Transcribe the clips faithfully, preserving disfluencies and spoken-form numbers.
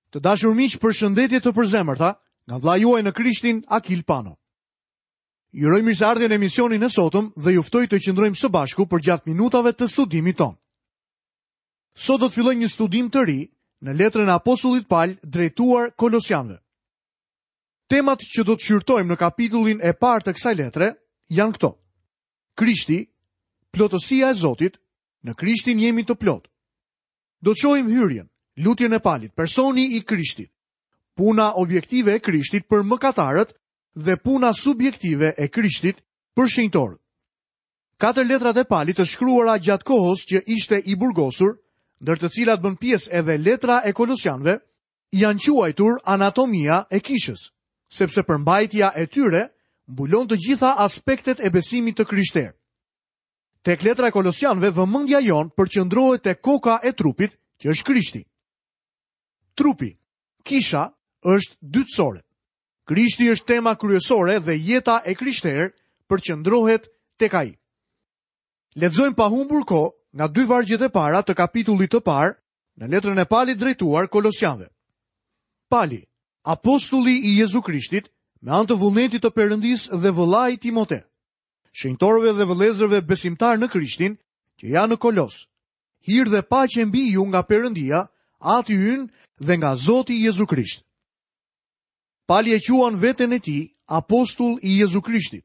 Të dashur miq, përshëndetje të përzemërta nga vëllai juaj në Krishtin, Akil Pano. Ju uroj mirëseardhjen në emisionin e sotëm dhe ju ftoj të qëndrojmë së bashku përgjatë minutave të studimit tonë. Sot do të fillojmë një studim të ri në letrën e Apostullit Pal drejtuar Kolosianëve. Temat që do të shqyrtojmë në kapitullin e parë të kësaj letre janë këto: Krishti, plotësia e Zotit, në Krishtin jemi të plotë. Do të shohim hyrjen, lutjen e Palit, personi i Krishtit, puna objektive e Krishtit për mëkatarët dhe puna subjektive e Krishtit për shenjtorët. Katër letrat e Palit të shkruara gjatë kohës që ishte i burgosur, ndër të cilat bën pjesë edhe letra e Kolosianëve, janë quajtur anatomia e kishës, sepse përmbajtja e tyre mbulon të gjitha aspektet e besimit të krishterë. Tek letra e Kolosianëve, vëmendja jonë përqendrohet te koka e trupit, që është Krishti. Trupi, kisha, është dytësore. Krishti është tema kryesore dhe jeta e krishterë përqendrohet tek ai. Lexojmë pa humbur kohë nga dy vargjet e para të kapitullit të parë në letrën e Palit drejtuar Kolosianëve. Pali, apostulli i Jezu Krishtit, me anë të vullnetit të Perëndisë dhe vëllai Timote, shenjtorëve dhe vëllezërve besimtar në Krishtin, që janë në Kolos. Hir dhe paqe mbi ju nga Perëndia, Ati ynë dhe nga Zoti Jezu Krisht. Pali e quan veten e tij apostull i Jezu Krishtit,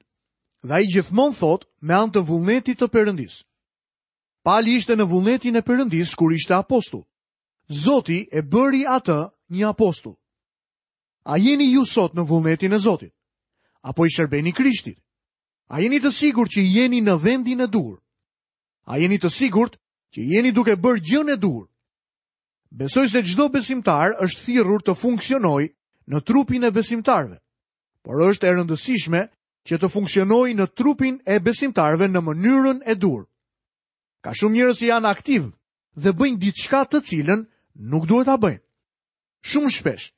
dhe ai gjithmonë thotë me anë të vullnetit të Perëndisë. Pali ishte në vullnetin e Perëndisë kur ishte apostull. Zoti e bëri atë një apostull. A jeni ju sot në vullnetin e Zotit? Apo i shërbeni Krishtit? A jeni të sigurt që jeni në vendin e duhur? A jeni të sigurt që jeni duke bërë gjën e duhur? Besoj se çdo besimtar është thirrur të funksionojë në trupin e besimtarëve, por është e rëndësishme që të funksionojë në trupin e besimtarëve në mënyrën e duhur. Ka shumë njerëz që janë aktiv dhe bëjnë diçka të cilën nuk duhet ta bëjnë. Shumë shpesh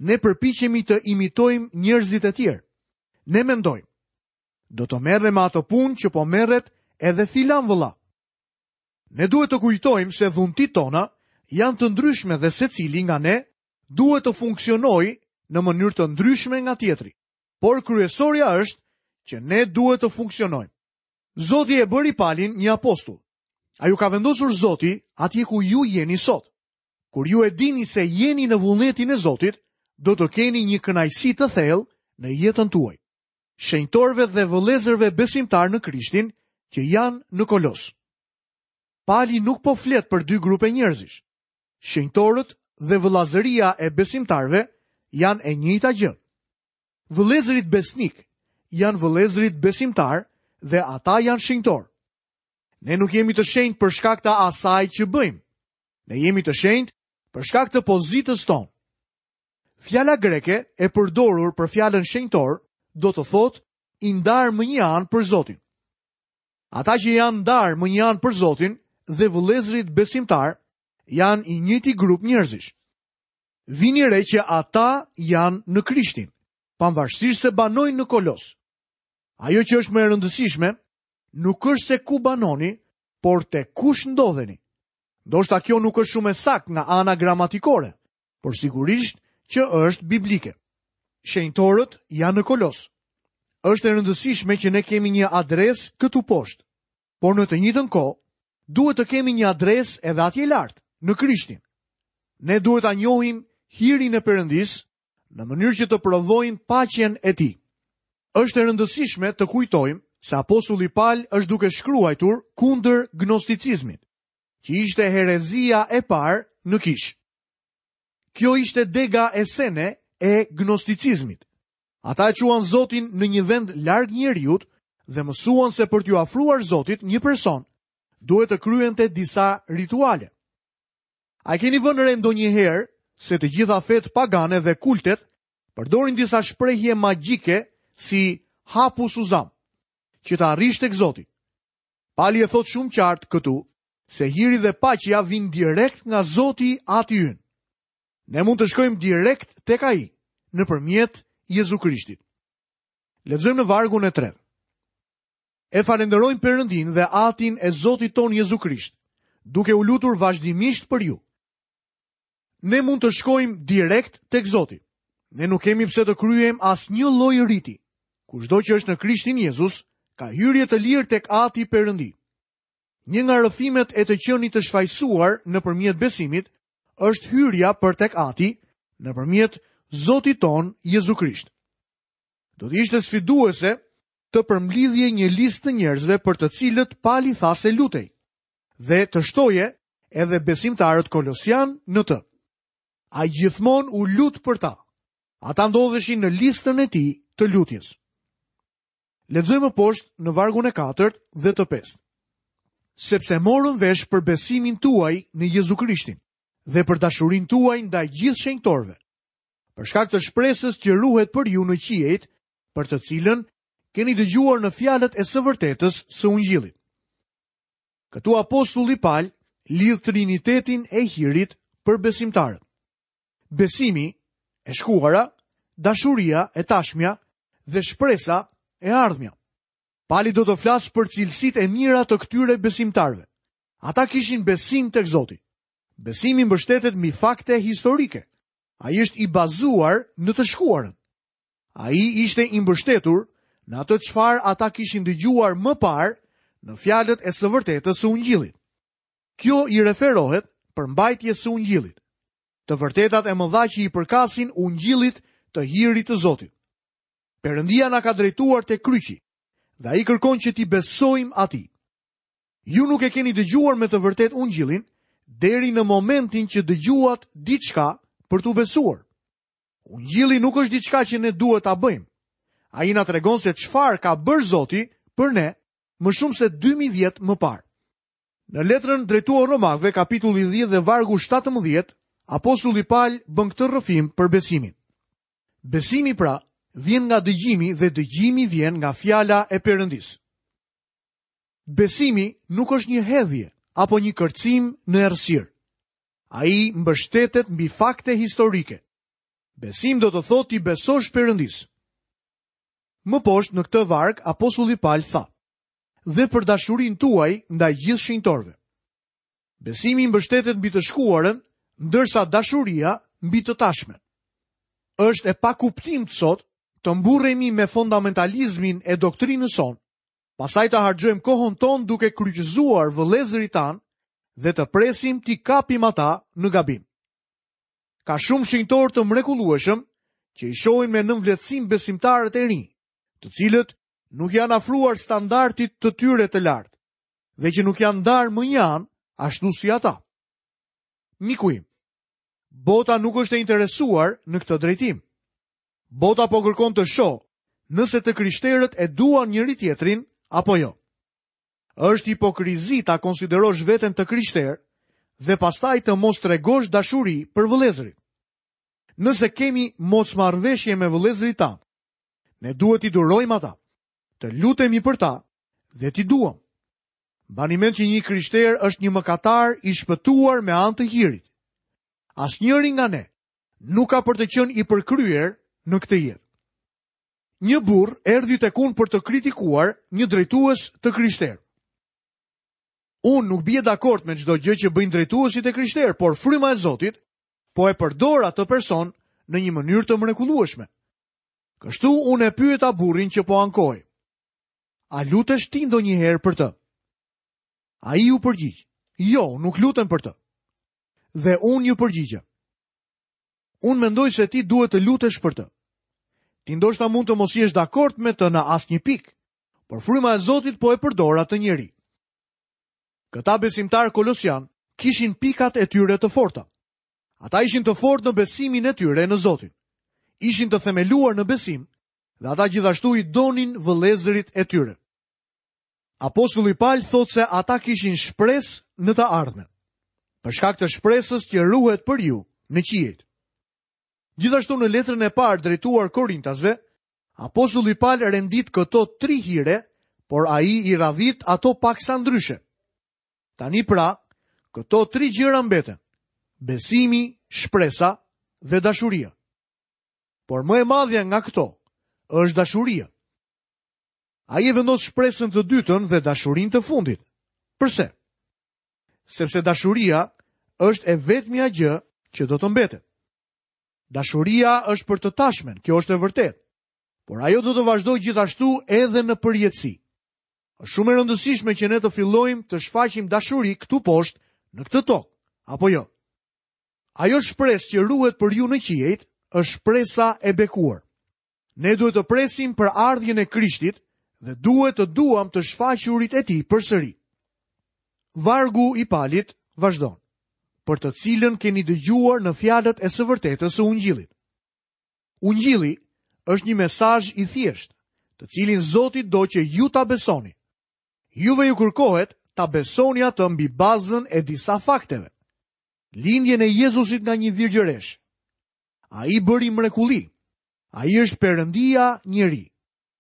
ne përpiqemi të imitojmë njerëzit e tjerë. Ne mendojmë, do të merrem me ato punë që po merret edhe filan vëlla. Ne duhet të kujtojmë se dhuntitë tona janë të ndryshme dhe secili nga ne duhet të funksionojë në mënyrë të ndryshme nga tjetri. Por kryesorja është që ne duhet të funksionojmë. Zoti e bëri Palin një apostull. A ju ka vendosur Zoti atje ku ju jeni sot? Kur ju e dini se jeni në vullnetin e Zotit, do të keni një kënaqësi të thellë në jetën tuaj. Shenjtorëve dhe vëllezërve besimtar në Krishtin që janë në Kolos. Pali nuk po flet për dy grupe njerëzish. Shenjtorët dhe vëllazëria e besimtarëve janë e njëjta gjë. Vëllezërit besnik janë vëllezërit besimtar dhe ata janë shenjtorë. Ne nuk jemi të shenjtë për shkak të asaj që bëjmë. Ne jemi të shenjtë për shkak të pozitës tonë. Fjala greke e përdorur për fjalën shenjtor do të thotë i ndarë më një anë për Zotin. Ata që janë ndarë më një anë për Zotin dhe vëllezërit besimtar janë i njëjti grup njerëzish. Vini re që ata janë në Krishtin, pavarësisht se banojnë në Kolos. Ajo që është më e rëndësishme nuk është se ku banoni, por te kush ndodheni. Ndoshta kjo nuk është shumë e saktë nga ana gramatikore, por sigurisht që është biblike. Shenjtorët janë në Kolos. Është e rëndësishme që ne kemi një adresë këtu poshtë, por në të njëjtën kohë duhet të kemi një adresë edhe atje lart, në Krishtin. Ne duhet ta njohim hirin e Perëndisë në mënyrë që të provojmë paqen e tij. Është e rëndësishme të kujtojmë se apostulli Pal është duke shkruajtur kundër gnosticizmit, që ishte herezia e parë në kishë. Kjo ishte dega e sene e gnosticizmit. Ata e quan Zotin në një vend larg njeriut dhe mësuan se për t'ju afruar Zotit një person duhet të kryente disa rituale. A keni vënë re ndonjëherë se të gjitha fetë pagane dhe kultet përdorin disa shprehje magjike si hapu suzam, që të arrish tek Zoti? Pali e thot shumë qartë këtu se hiri dhe paqja vijnë direkt nga Zoti Ati ynë. Ne mund të shkojmë direkt tek ai nëpërmjet Jezu Krishtit. Lexojmë në vargun e tretë. E falenderojmë Perëndin dhe Atin e Zotit ton Jezu Krisht, duke u lutur vazhdimisht për ju. Ne mund të shkojmë direkt tek Zoti. Ne nuk kemi pse të kryejmë asnjë lloj riti. Kushdo që është në Krishtin Jezus, ka hyrje të lirë tek Ati Perëndi. Një nga rrëfimet e të qenit të shfajësuar nëpërmjet besimit është hyrja për tek Ati nëpërmjet Zotit ton Jezu Krisht. Do të ishte sfiduese të përmblidhje një listë të njerëzve për të cilët Pali tha se lutej, dhe të shtoje edhe besimtarët kolosian në të. Ai gjithmonë u lut për ta. Ata ndodheshin në listën e tij të lutjes. Lexojmë poshtë në vargun e katërt dhe të pestë. Sepse morëm vesh për besimin tuaj në Jezu Krishtin dhe për dashurinë tuaj ndaj gjithë shenjtorëve, për shkak të shpresës që ruhet për ju në qiejt, për të cilën keni dëgjuar në fjalët e së vërtetës së Ungjillit. Këtu apostulli Pal lidh trinitetin e hirit për besimtarët. Besimi, e shkuara, dashuria e tashmja dhe shpresa e ardhmja. Pali do të flasë për cilësitë e mira të këtyre besimtarëve. Ata kishin besim tek Zoti. Besimi mbështetet mbi fakte historike. Ai është i bazuar në të shkuarën. Ai ishte i mbështetur në atë çfarë ata kishin dëgjuar më parë në fjalët e së vërtetës së Ungjillit. Kjo i referohet përmbajtjes së Ungjillit, të vërtetat e mëdha që i përkasin Ungjillit të hirit të Zotit. Perëndia na ka drejtuar te kryqi dhe ai kërkon që t'i besojmë atij. Ju nuk e keni dëgjuar me të vërtetë Ungjillin deri në momentin që dëgjuat diçka për t'u besuar. Ungjilli nuk është diçka që ne duhet ta bëjmë. Ai na tregon se çfarë ka bërë Zoti për ne më shumë se dy mijë vjet më parë. Në letrën drejtuar Romakëve, kapitulli dhjetë dhe vargu shtatëmbëdhjetë, apostulli Pal bën këtë rrëfim për besimin. Besimi pra vjen nga dëgjimi dhe dëgjimi vjen nga fjala e Perëndisë. Besimi nuk është një hedhje apo një kërcim në errësirë. Ai mbështetet mbi fakte historike. Besim do të thotë t'i besosh Perëndisë. Më poshtë në këtë varg, apostulli Pal tha: "Dhe për dashurinë tuaj ndaj gjithë shenjtorëve." Besimi mbështetet mbi të shkuarën, ndërsa dashuria mbi të tashmen. Është e pakuptimtë sot të mburremi me fundamentalizmin e doktrinës sonë, pastaj të harxhojmë kohën tonë duke kryqëzuar vëllezërit tanë dhe të presim t'i kapim ata në gabim. Ka shumë shenjtorë të mrekullueshëm që i shohin me nënvlerësim besimtarët e rinj, të cilët nuk janë afruar standardit të tyre të lartë dhe që nuk janë ndarë më një anë ashtu si ata. Miku im, bota nuk është e interesuar në këtë drejtim. Bota po kërkon të shohë nëse të krishterët e duan njëri tjetrin apo jo. Është hipokrizi ta konsiderosh veten të krishterë dhe pastaj të mos tregosh dashuri për vëllezërit. Nëse kemi mosmarrëveshje me vëllezërit tanë, ne duhet t'i durojmë ata, të lutemi për ta dhe t'i duam. Mbani mend që një krishter është një mëkatar i shpëtuar me anë të hirit. Asnjëri nga ne nuk ka për të qenë i përkryer në këtë jetë. Një burr erdhi tek unë për të kritikuar një drejtues të krishterë. Unë nuk bie dakord me çdo gjë që bëjnë drejtuesit e krishterë, por fryma e Zotit po e përdor atë person në një mënyrë të mrekullueshme. Kështu unë e pyeta burrin që po ankohej: "A lutesh ti ndonjëherë për të?" Ai u përgjigj: "Jo, nuk lutem për të." Dhe unë ju përgjigja: "Unë mendoj se ti duhet të lutesh për të. Ti ndoshta mund të mos jesh dakord me të në asnjë pikë, por fryma e Zotit po e përdor atë njeri." Këta besimtarë kolosian kishin pikat e tyre të forta. Ata ishin të fortë në besimin e tyre në Zotin. Ishin të themeluar në besim dhe ata gjithashtu i donin vëllezërit e tyre. Apostulli Pal thotë se ata kishin shpresë në të ardhmen, për shkak të shpresës që ruhet për ju në qiejt. Gjithashtu në letrën e parë drejtuar Korintasve, apostulli Pal rendit këto tri hire, por ai i radhit ato paksa ndryshe. Tani pra, këto tri gjëra mbeten: besimi, shpresa dhe dashuria. Por më e madhja nga këto është dashuria. Ai e vendos shpresën të dytën dhe dashurinë të fundit. Përse? Sepse dashuria është e vetmja gjë që do të mbetet. Dashuria është për të tashmen, kjo është e vërtetë, por ajo do të vazhdojë gjithashtu edhe në përjetësi. Është shumë e rëndësishme që ne të fillojmë të shfaqim dashuri këtu poshtë në këtë tokë, apo jo? Ajo shpresë që ruhet për ju në qiejt është shpresa e bekuar. Ne duhet të presim për ardhjen e Krishtit dhe duhet të duam të shfaqurit e tij përsëri. Vargu i Palit vazhdon, për të cilën keni dëgjuar në fjalët e së vërtetës së Ungjillit. Ungjilli është një mesazh i thjeshtë, të cilin Zoti do që ju ta besoni. Juve ju kërkohet ta besoni atë mbi bazën e disa fakteve. Lindjen e Jezusit nga një virgjëresh. Ai bëri mrekulli. Ai është Perëndia njeri.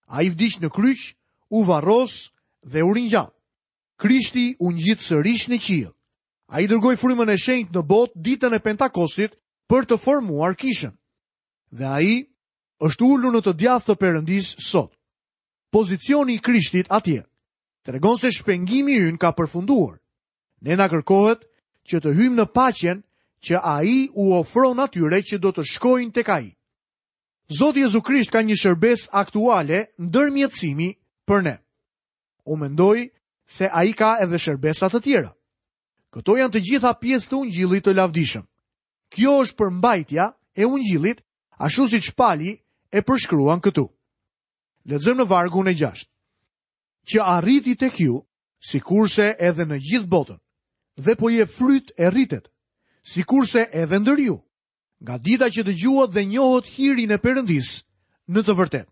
Ai vdiq në kryq, u varros dhe u ringjall. Krishti u ngjit sërish në qiell. Ai dërgoi frymën e shenjtë në botë ditën e Pentakostit për të formuar kishën. Dhe ai është ulur në të djathtë të Perëndisë sot. Pozicioni i Krishtit atje tregon se shpengimi ynë ka përfunduar. Ne na kërkohet që të hyjmë në paqen që ai u ofron atyre që do të shkojnë tek ai. Zoti Jezu Krisht ka një shërbesë aktuale ndërmjetësimi për ne. Unë mendoj se ai ka edhe shërbesa të tjera. Këto janë të gjitha pjesë të Ungjillit të lavdishëm. Kjo është përmbajtja e Ungjillit, ashtu siç Pali e përshkruan këtu. Lexojmë në vargun e gjashtë. Që arriti tek ju, sikurse edhe në gjithë botën, dhe po jep fryt e rritet, sikurse edhe ndër ju, nga dita që dëgjuat dhe njohët hirin e Perëndisë në të vërtetë.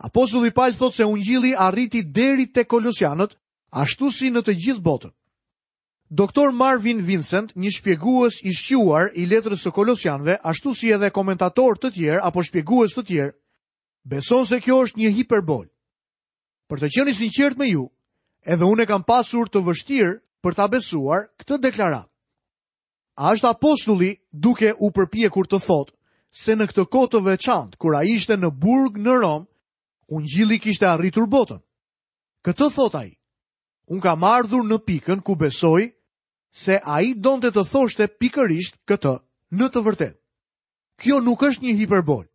Apostulli Paul thotë se Ungjilli arriti deri te Kolosianët, ashtu si në të gjithë botën. Doktor Marvin Vincent, një shpjegues i shquar i letrës së Kolosianëve, ashtu si edhe komentatorë të tjerë apo shpjegues të tjerë, beson se kjo është një hiperbol. Për të qenë i sinqert me ju, edhe unë e kam pasur të vështirë për ta besuar këtë deklaratë. A është apostulli duke u përpjekur të thotë se në këtë kohë të veçantë, kur ai ishte në burg në Romë, Ungjilli kishte arritur botën? Këtë thotë ai. Unë kam ardhur në pikën ku besoj se ai donte të thoshte pikërisht këtë në të vërtetë. Kjo nuk është një hiperbol.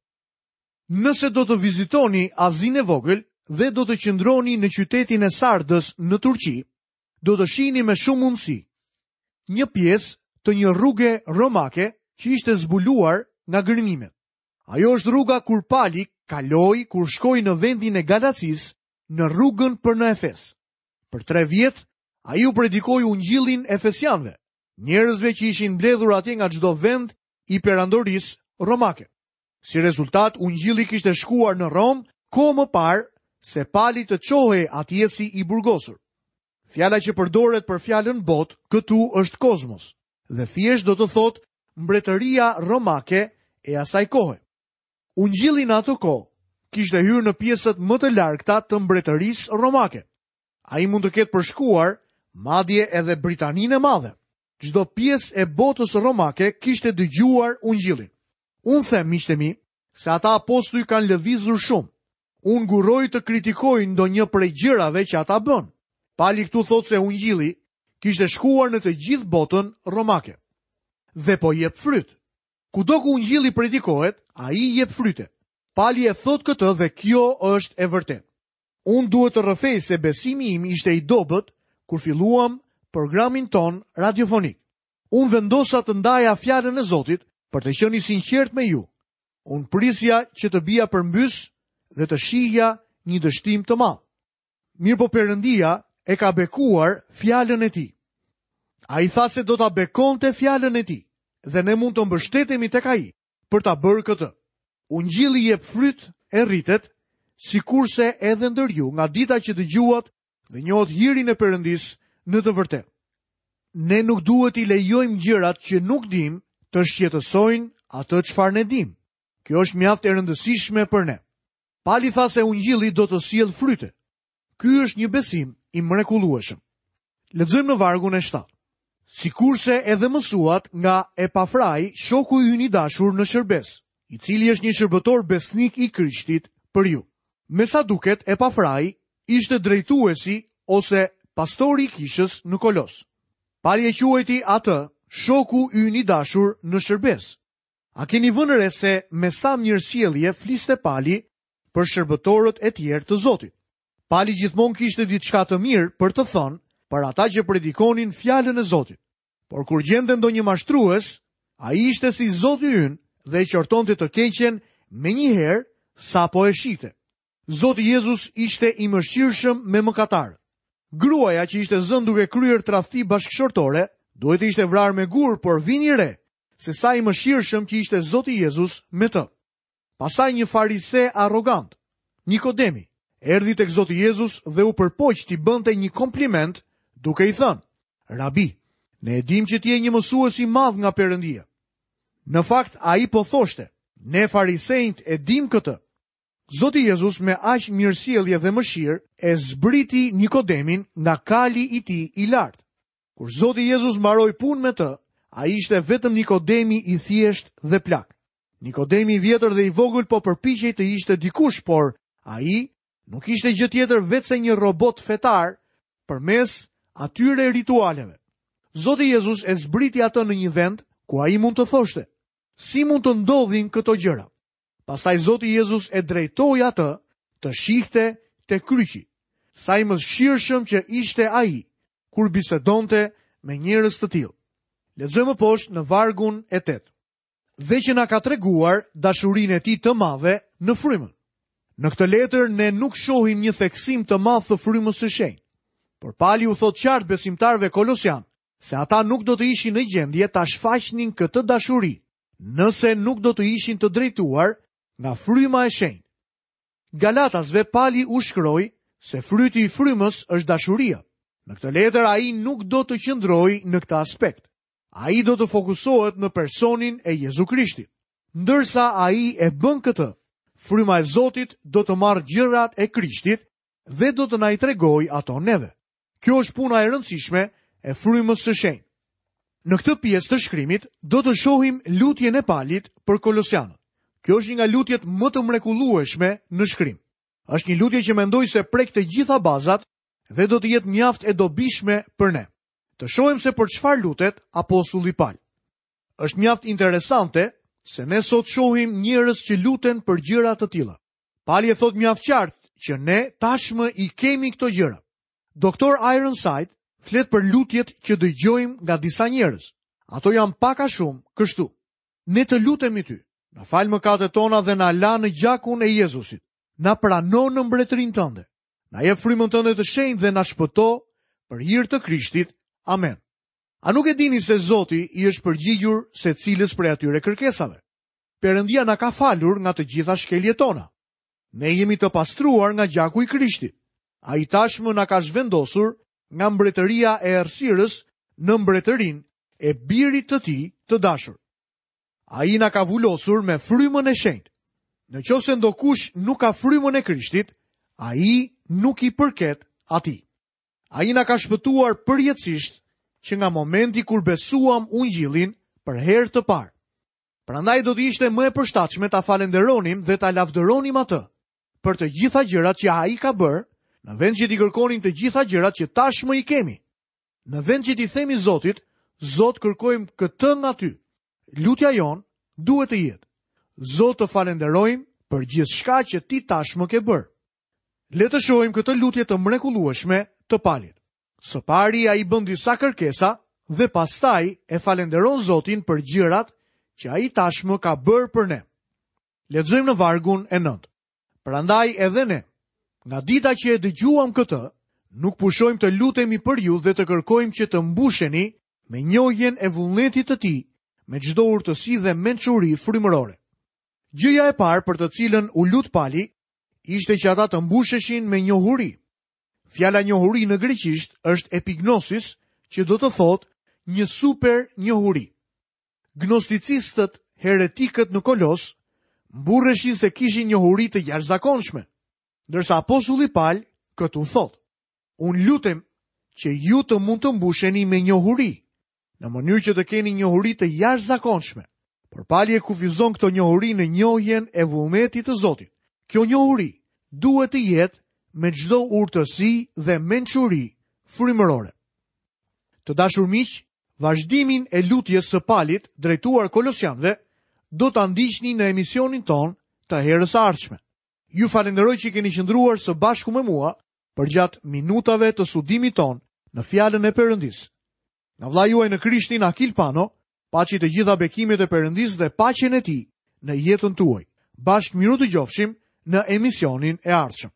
Nëse do të vizitoni Azinë e Vogël dhe do të qëndroni në qytetin e Sardës në Turqi, do të shihni me shumë mundësi një pjesë të një rruge romake që ishte zbuluar nga gërmimet. Ajo është rruga kur Pali kaloi kur shkoi në vendin e Galacisë, në rrugën për në Efes. Për tre vjet, ai u predikoi Ungjillin efesianëve, njerëzve që ishin mbledhur atje nga çdo vend i perandorisë romake. Si rezultat, Ungjilli kishte shkuar në Romë kohë më parë se Pali të çohej atje si i burgosur. Fjala që përdoret për fjalën botë këtu është kozmos, dhe thjesht do të thotë mbretëria romake e asaj kohe. Ungjilli në atë kohë kishte hyrë në pjesët më të largëta të mbretërisë romake. Ai mund të ketë përshkuar madje edhe Britaninë e Madhe. Çdo pjesë e botës romake kishte dëgjuar Ungjillin. Unë them, miqtë e mi, se ata apostuj kanë lëvizur shumë. Unë ngurroj të kritikoj ndonjë prej gjërave që ata bën. Pali këtu thotë se Ungjilli kishte shkuar në të gjithë botën romake. Dhe po jep fryt. Kudo ku Ungjilli predikohet, ai jep fryte. Pali e thot këtë dhe kjo është e vërtetë. Unë duhet të rrëfej se besimi im ishte i dobët kur filluam programin ton radiofonik. Unë vendosa të ndaja fjalën e Zotit për të qenë i sinqert me ju. Unë prisja që të bia përmbys dhe të shihja një dështim të madh. Mirë po Perëndia e ka bekuar fjalën e tij. Ai tha se do ta bekonte fjalën e tij dhe ne mund të mbështetemi tek ai për ta bërë këtë. Ungjilli jep fryt e rritet, sikurse edhe ndër ju nga dita që dëgjuat dhe njohët hirin e Perëndisë në të vërtetë. Ne nuk duhet i lejojmë gjërat që nuk dim të shqetësojnë atë çfarë ne dim. Kjo është mjaft e rëndësishme për ne. Pali tha se Ungjilli do të sjellë fryte. Ky është një besim i mrekullueshëm. Lexojmë në vargun e shtatë. Sikurse edhe mësuat nga Epafrai, shoku ynë i dashur në shërbes, i cili është një shërbëtor besnik i Krishtit për ju. Me sa duket, Epafrai ishte drejtuesi ose pastori i kishës në Kolos. Pali e quajti atë shoku ynë i dashur në shërbesë. A keni vënë re se me sa mirësjellje fliste Pali për shërbëtorët e tjerë të Zotit? Pali gjithmonë kishte diçka të mirë për të thënë për ata që predikonin fjalën e Zotit. Por kur gjente ndonjë mashtrues, ai ishte si Zoti ynë dhe e qortonte të keqen menjëherë sapo e shihte. Zoti Jezus ishte i mëshirshëm me mëkatarët. Gruaja që ishte zënë duke kryer tradhti bashkëshortore, duhet të ishte vrarë me gur, por vini re se sa i mëshirshëm që ishte Zoti Jezus me të. Pastaj një farise arrogant, Nikodemi, erdhi tek Zoti Jezus dhe u përpoq t'i bënte një kompliment duke i thënë: "Rabi, ne e dim që ti je një mësues i madh nga Perëndia." Në fakt ai po thoshte: "Ne farisejt e dim këtë." Zoti Jezus me aq mirësjellje dhe mëshirë e zbriti Nikodemin nga kali i tij i lartë. Kur Zoti Jezus mbaroi punë me të, ai ishte vetëm Nikodemi i thjeshtë dhe plak. Nikodemi i vjetër dhe i vogël po përpiqej të ishte dikush, por ai nuk ishte gjë tjetër veçse një robot fetar përmes atyre ritualeve. Zoti Jezus e zbriti atë në një vend ku ai mund të thoshte: "Si mund të ndodhin këto gjëra?" Pastaj Zoti Jezus e drejtoi atë të shihte te kryqi. Sa i mëshirshëm që ishte ai kur bisedonte me njerëz të tillë. Lexojmë poshtë në vargun e tetë. Dhe që na ka treguar dashurinë e tij të madhe në frymën. Në këtë letër ne nuk shohim një theksim të madh të frymës së shenjtë. Por Pali u thotë qartë besimtarëve kolosian se ata nuk do të ishin në gjendje ta shfaqnin këtë dashuri, nëse nuk do të ishin të drejtuar nga fryma e shenjtë. Galatasve Pali u shkroi se fryti i frymës është dashuria. Në këtë letër ai nuk do të qëndrojë në këtë aspekt. Ai do të fokusohet në personin e Jezu Krishtit. Ndërsa ai e bën këtë, fryma e Zotit do të marrë gjërat e Krishtit dhe do të na i tregojë ato neve. Kjo është puna e rëndësishme e frymës së shenjtë. Në këtë pjesë të shkrimit do të shohim lutjen e Palit për Kolosianët. Kjo është një nga lutjet më të mrekullueshme në shkrim. Është një lutje që mendoj se prek të gjitha bazat dhe do të jetë mjaft e dobishme për ne. Të shohim se për çfarë lutet apostulli Pal. Është mjaft interesante se ne sot shohim njerëz që luten për gjëra të tilla. Pali e thot mjaft qartë që ne tashmë i kemi këto gjëra. Doktor Ironside flet për lutjet që dëgjojmë nga disa njerëz. Ato janë pak a shumë kështu. Ne të lutemi ty. Na fal mëkatet tona dhe na la në gjakun e Jezusit. Na prano në mbretërinë tënde. Na jep frymën tënde të shenjtë dhe na shpëto për hir të Krishtit. Amen. A nuk e dini se Zoti i është përgjigjur secilës prej atyre kërkesave? Perëndia na ka falur nga të gjitha shkeljet tona. Ne jemi të pastruar nga gjaku i Krishtit. Ai tashmë na ka zhvendosur nga mbretëria e errësirës në mbretërinë e birit të tij të dashur. Ai na ka vulosur me frymën e shenjtë. Në qoftë se ndokush nuk ka frymën e Krishtit, ai nuk i përket atij. Ai na ka shpëtuar përjetësisht që nga momenti kur besuam ungjillin për herë të parë. Prandaj do të ishte më e përshtatshme ta falenderonim dhe ta lavdëronim atë për të gjitha gjërat që ai ka bërë, në vend që t'i kërkonim të gjitha gjërat që tashmë i kemi. Në vend që t'i themi Zotit, Zot, kërkojmë këtë nga ty. Lutja jonë duhet të jetë: Zot, të falenderojmë për gjithçka që ti tashmë ke bërë. Le të shohim këtë lutje të mrekullueshme të Palit. Së pari ai bën disa kërkesa dhe pastaj e falenderon Zotin për gjërat që ai tashmë ka bërë për ne. Lexojmë në vargun e nëntë. Prandaj edhe ne, nga dita që e dëgjuam këtë, nuk pushojmë të lutemi për ju dhe të kërkojmë që të mbusheni me njohjen e vullnetit të tij, me çdo urtësi dhe mençuri frymërore. Gjëja e parë për të cilën u lut Pali ishte që ata të mbusheshin me njohuri. Fjala njohuri në greqisht është epignosis, që do të thotë një super njohuri. Gnosticistët, heretikët në Kolos, mburreshin se kishin njohuri të jashtëzakonshme, ndërsa apostulli Pal këtu thotë: Unë lutem që ju të mund të mbusheni me njohuri, në mënyrë që të keni njohuri të jashtëzakonshme. Por Pali e kufizon këto njohuri në njohjen e vullnetit të Zotit. Kjo njohuri duhet të jetë me çdo urtësi dhe mençuri frymërore. Të dashur miq, Vazhdimin e lutjes së Palit drejtuar Kolosianëve do ta ndiqni në emisionin tonë të herës së ardhshme. Ju falenderoj që keni qëndruar së bashku me mua përgjatë minutave të studimit tonë në fjalën e Perëndisë. Nga vëllai juaj në Krishtin Akil Pano, paçi të gjitha bekimet e Perëndisë dhe paqen e tij në jetën tuaj. Bashkë mirudëgjofshim në emisionin e ardhshëm.